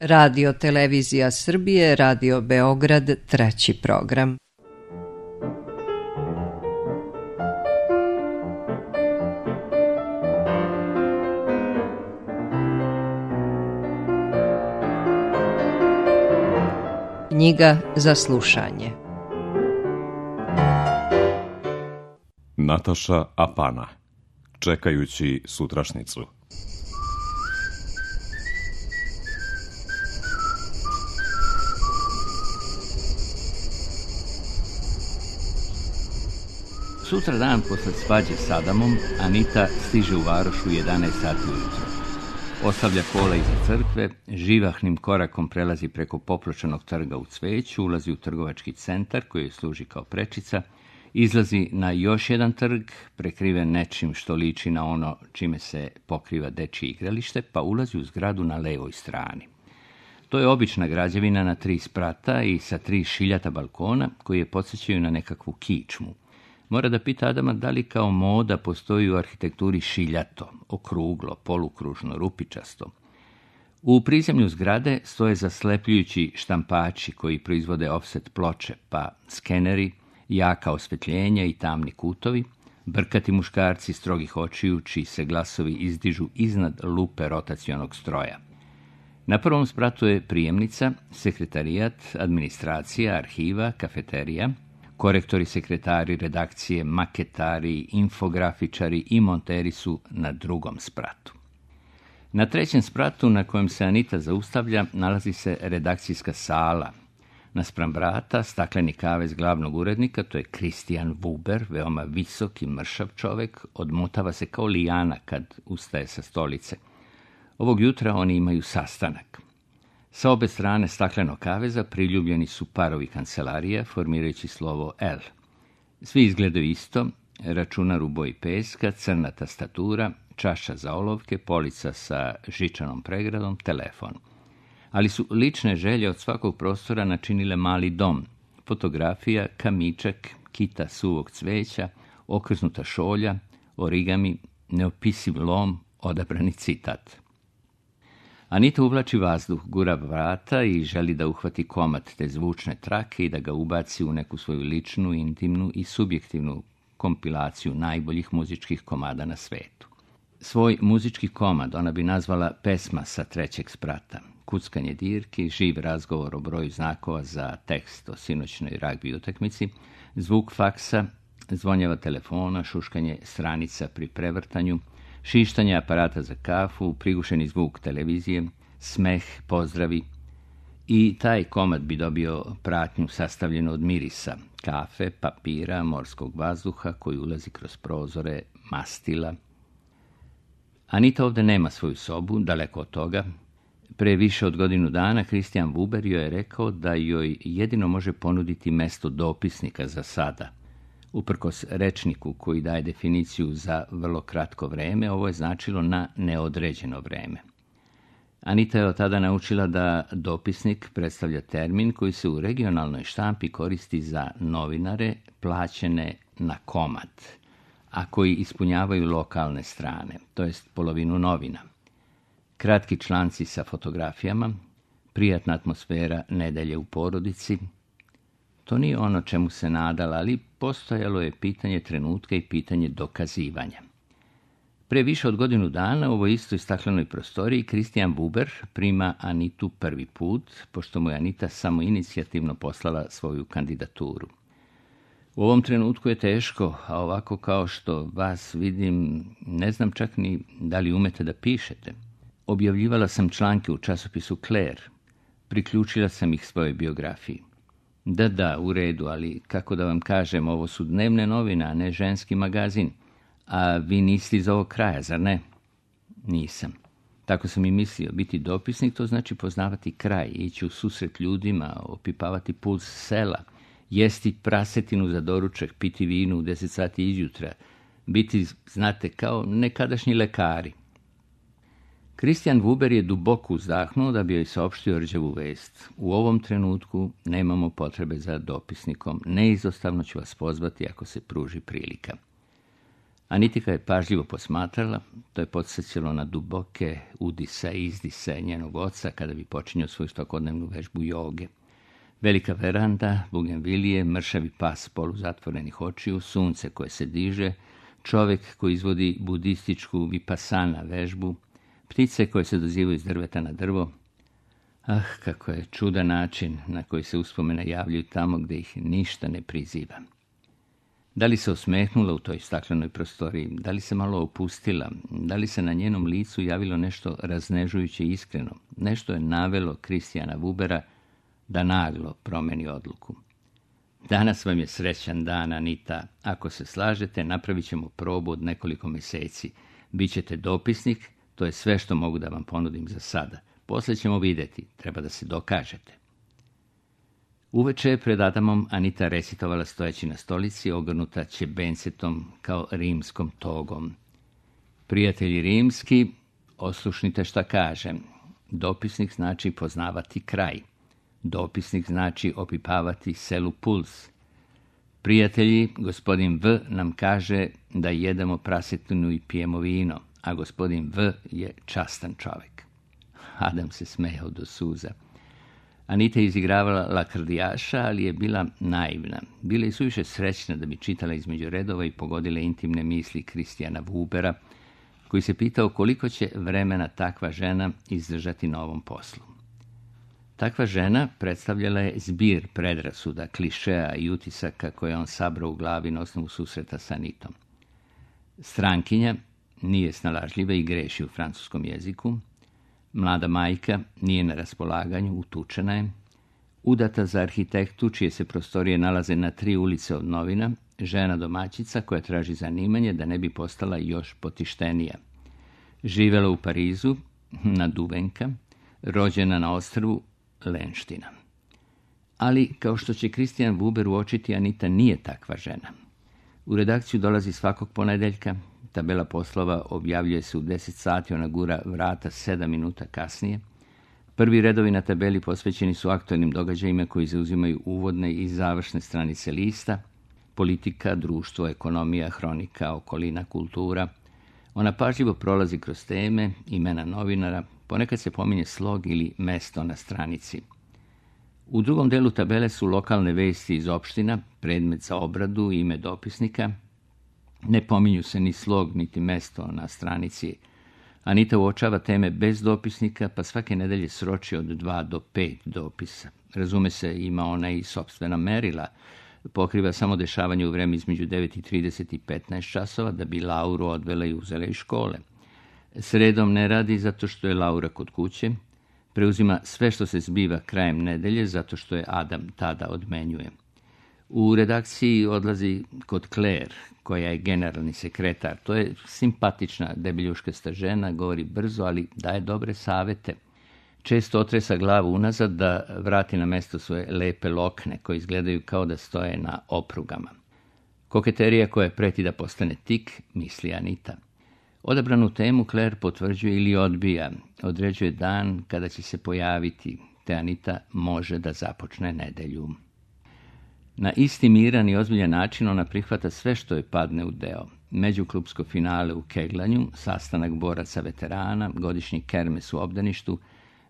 Radio Televizija Srbije, Radio Beograd, 3. program. Knjiga za slušanje. Nataša Apana. Čekajući sutrašnicu. Sutra dan posle svađe s Adamom, Anita stiže u Varoš u 11 sati ujutro. Ostavlja kola iza crkve, živahnim korakom prelazi preko popločenog trga u Cveću, ulazi u trgovački centar koji služi kao prečica, izlazi na još jedan trg, prekriven nečim što liči na ono čime se pokriva dečje igralište, pa ulazi u zgradu na levoj strani. To je obična građevina na 3 sprata i sa 3 šiljata balkona koji je podsjećaju na nekakvu kičmu. Mora da pita Adama da li kao moda postoji u arhitekturi šiljato, okruglo, polukružno, rupičasto. U prizemlju zgrade stoje zaslepljujući štampači koji proizvode ofset ploče, pa skeneri, jaka osvetljenja i tamni kutovi, brkati muškarci strogih očiju čiji se glasovi izdižu iznad lupe rotacionog stroja. Na prvom spratu je prijemnica, sekretarijat, administracija, arhiva, kafeterija, korektori, sekretari, redakcije, maketari, infografičari i monteri su na drugom spratu. Na 3. spratu na kojem se Anita zaustavlja nalazi se redakcijska sala. Naspram vrata stakleni kavez glavnog urednika, to je Kristijan Vuber, veoma visok i mršav čovek, odmotava se kao lijana kad ustaje sa stolice. Ovog jutra oni imaju sastanak. Sa obe strane staklenog kaveza priljubljeni su parovi kancelarija, formirajući slovo L. Svi izgledaju isto, računar u boji peska, crna tastatura, čaša za olovke, polica sa žičanom pregradom, telefon. Ali su lične želje od svakog prostora načinile mali dom. Fotografija, kamičak, kita suvog cveća, okrznuta šolja, origami, neopisiv lom, odabrani citat. Anita uvlači vazduh, gura vrata i želi da uhvati komad te zvučne trake i da ga ubaci u neku svoju ličnu, intimnu i subjektivnu kompilaciju najboljih muzičkih komada na svetu. Svoj muzički komad ona bi nazvala pesma sa 3. sprata. Kuckanje dirki, živ razgovor o broju znakova za tekst o sinoćnoj ragbi utakmici, zvuk faksa, zvonjava telefona, šuškanje stranica pri prevrtanju, šištanje aparata za kafu, prigušeni zvuk televizije, smeh, pozdravi. I taj komad bi dobio pratnju sastavljenu od mirisa, kafe, papira, morskog vazduha koji ulazi kroz prozore, mastila. Anita ovdje nema svoju sobu, daleko od toga. Pre više od godinu dana Kristijan Vuber joj je rekao da joj jedino može ponuditi mesto dopisnika za sada. Uprkos rečniku koji daje definiciju za vrlo kratko vreme, ovo je značilo na neodređeno vreme. Anita je od tada naučila da dopisnik predstavlja termin koji se u regionalnoj štampi koristi za novinare plaćene na komad, a koji ispunjavaju lokalne strane, to jest polovinu novina. Kratki članci sa fotografijama, prijatna atmosfera nedelje u porodici. To nije ono čemu se nadala, ali postojalo je pitanje trenutka i pitanje dokazivanja. Pre više od godinu dana u ovoj istoj staklenoj prostoriji Kristijan Vuber prima Anitu prvi put, pošto mu je Anita samo inicijativno poslala svoju kandidaturu. U ovom trenutku je teško, a ovako kao što vas vidim, ne znam čak ni da li umete da pišete. Objavljivala sam članke u časopisu Claire. Priključila sam ih svojoj biografiji. Da, u redu, ali kako da vam kažem, ovo su dnevne novine, a ne ženski magazin. A vi niste iz ovog kraja, zar ne? Nisam. Tako sam i mislio, biti dopisnik, to znači poznavati kraj, ići u susret ljudima, opipavati puls sela, jesti prasetinu za doručak, piti vinu u 10 sati izjutra, biti, znate, kao nekadašnji lekari. Kristijan Vuber je duboko uzdahnuo da bi joj saopštio rđavu vest. U ovom trenutku nemamo potrebe za dopisnikom. Neizostavno ću vas pozvati ako se pruži prilika. Anitika je pažljivo posmatrala, to je podsjećalo na duboke udisa i izdise njenog oca kada bi počinjao svoju svakodnevnu vežbu joge. Velika veranda, bugenvilije, mršavi pas poluzatvorenih očiju, sunce koje se diže, čovjek koji izvodi budističku vipasana vežbu, ptice koje se dozivaju iz drveta na drvo. Ah, kako je čudan način na koji se uspomene javljaju tamo gdje ih ništa ne priziva. Da li se osmehnula u toj staklenoj prostoriji, da li se malo opustila, da li se na njenom licu javilo nešto raznežujuće i iskreno, nešto je navelo Kristijana Wubera da naglo promeni odluku. Danas vam je srećan dan, Anita. Ako se slažete, napravit ćemo probu od nekoliko mjeseci. Bićete dopisnik, to je sve što mogu da vam ponudim za sada. Poslije ćemo vidjeti, treba da se dokažete. Uveče pred Adamom Anita recitovala stojeći na stolici, ogrnuta ćebencetom kao rimskom togom. Prijatelji rimski, oslušnite šta kažem. Dopisnik znači poznavati kraj. Dopisnik znači opipavati selu puls. Prijatelji, gospodin V nam kaže da jedemo prasetinu i pijemo vino, a gospodin V je častan čovjek. Adam se smejao do suza. Anita je izigravala lakrdijaša, ali je bila naivna. Bila je suviše srećna da bi čitala između redova i pogodila intimne misli Kristijana Wubera, koji se pitao koliko će vremena takva žena izdržati na ovom poslu. Takva žena predstavljala je zbir predrasuda, klišeja i utisaka koje on sabrao u glavi na osnovu susreta sa Anitom. Strankinja nije snalažljiva i greši u francuskom jeziku. Mlada majka nije na raspolaganju, utučena je. Udata za arhitektu, čije se prostorije nalaze na 3 ulice od novina, žena domaćica koja traži zanimanje da ne bi postala još potištenija. Živela u Parizu, naduvenka, rođena na ostrvu Lenština. Ali, kao što će Kristijan Wuber uočiti, Anita nije takva žena. U redakciju dolazi svakog ponedeljka, tabela poslova objavljuje se u 10 sati, ona gura vrata 7 minuta kasnije. Prvi redovi na tabeli posvećeni su aktualnim događajima koji zauzimaju uvodne i završne stranice lista, politika, društvo, ekonomija, hronika, okolina, kultura. Ona pažljivo prolazi kroz teme, imena novinara, ponekad se pominje slog ili mesto na stranici. U drugom delu tabele su lokalne vesti iz opština, predmet za obradu i ime dopisnika. Ne pominju se ni slog, niti mesto na stranici. Anita uočava teme bez dopisnika, pa svake nedelje sroči od 2 do 5 dopisa. Razume se, ima ona i sopstvena merila. Pokriva samo dešavanje u vreme između 9:30 i 15 časova, da bi Lauru odvela i uzela iz škole. Sredom ne radi zato što je Laura kod kuće. Preuzima sve što se zbiva krajem nedelje zato što je Adam tada odmenjuje. U redakciji odlazi kod Claire, koja je generalni sekretar. To je simpatična debeljuškasta žena, govori brzo, ali daje dobre savete. Često otresa glavu unazad da vrati na mesto svoje lepe lokne, koje izgledaju kao da stoje na oprugama. Koketerija koja preti da postane tik, misli Anita. Odabranu temu Claire potvrđuje ili odbija, određuje dan kada će se pojaviti, te Anita može da započne nedelju. Na isti miran i ozbiljan način ona prihvata sve što je padne u deo. Međuklubsko finale u keglanju, sastanak boraca veterana, godišnji kermes u obdaništu,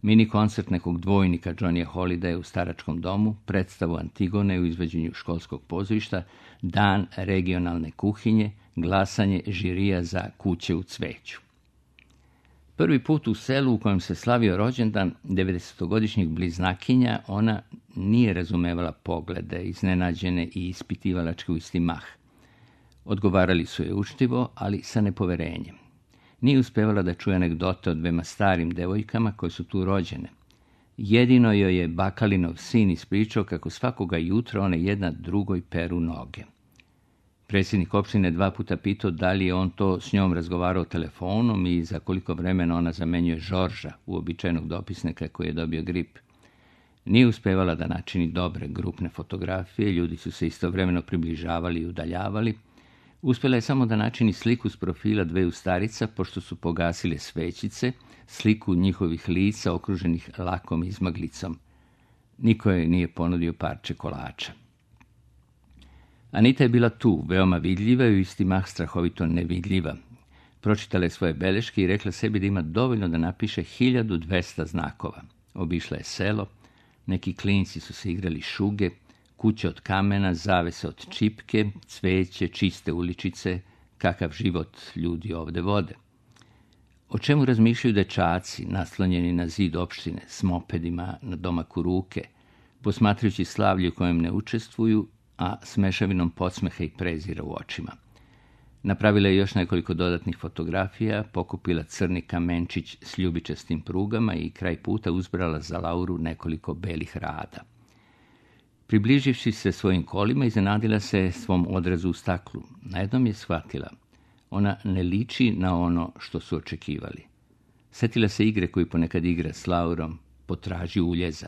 mini koncert nekog dvojnika Johnnyja Holidaya u staračkom domu, predstavu Antigone u izvođenju školskog pozorišta, dan regionalne kuhinje, glasanje žirija za Kuće u cveću. Prvi put u selu u kojem se slavio rođendan 90-godišnjih bliznakinja, ona nije razumevala poglede, iznenađene i ispitivalačke u isti mah. Odgovarali su je učtivo, ali sa nepoverenjem. Nije uspevala da čuje anegdote o 2 starim devojkama koje su tu rođene. Jedino joj je Bakalinov sin ispričao kako svakoga jutra one jedna drugoj peru noge. Predsjednik opštine 2 puta pitao da li je on to s njom razgovarao telefonom i za koliko vremena ona zamenjuje Žorža, uobičajenog dopisnika koji je dobio grip. Nije uspevala da načini dobre grupne fotografije, ljudi su se istovremeno približavali i udaljavali. Uspjela je samo da načini sliku s profila 2 starica, pošto su pogasile svećice, sliku njihovih lica okruženih lakom izmaglicom. Niko joj nije ponudio parče kolača. Anita je bila tu, veoma vidljiva i u isti mah strahovito nevidljiva. Pročitala je svoje beleške i rekla sebi da ima dovoljno da napiše 1200 znakova. Obišla je selo, neki klinci su se igrali šuge, kuće od kamena, zavese od čipke, cveće, čiste uličice, kakav život ljudi ovde vode. O čemu razmišljaju dečaci, naslonjeni na zid opštine, s mopedima na domaku ruke, posmatrajući slavlje u kojem ne učestvuju, a s mešavinom podsmeha i prezira u očima. Napravila je još nekoliko dodatnih fotografija, pokupila crni kamenčić s ljubičastim prugama i kraj puta uzbrala za Lauru nekoliko belih rada. Približivši se svojim kolima, iznenadila se svom odrazu u staklu. Najednom je shvatila. Ona ne liči na ono što su očekivali. Setila se igre koju ponekad igra s Laurom, potraži uljeza.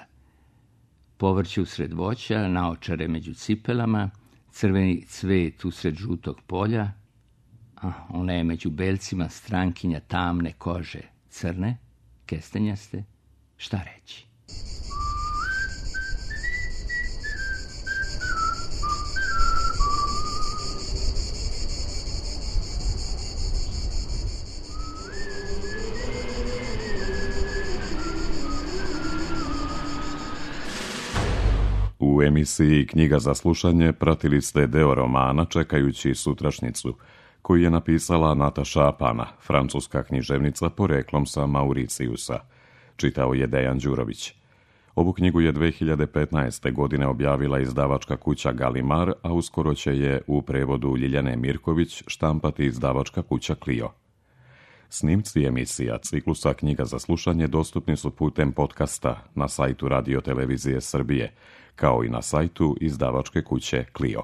Povrće usred voća, naočare među cipelama, crveni cvet usred žutog polja, a ona je među belcima strankinja tamne kože, crne, kestenjaste, šta reći? U emisiji Knjiga za slušanje pratili ste deo romana Čekajući sutrašnjicu, koji je napisala Nataša Apana, francuska književnica poreklom sa Mauricijusa. Čitao je Dejan Đurović. Ovu knjigu je 2015. godine objavila izdavačka kuća Galimar, a uskoro će je u prevodu Ljiljane Mirković štampati izdavačka kuća Clio. Snimci emisija ciklusa Knjiga za slušanje dostupni su putem podcasta na sajtu Radio Televizije Srbije, kao i na sajtu izdavačke kuće Clio.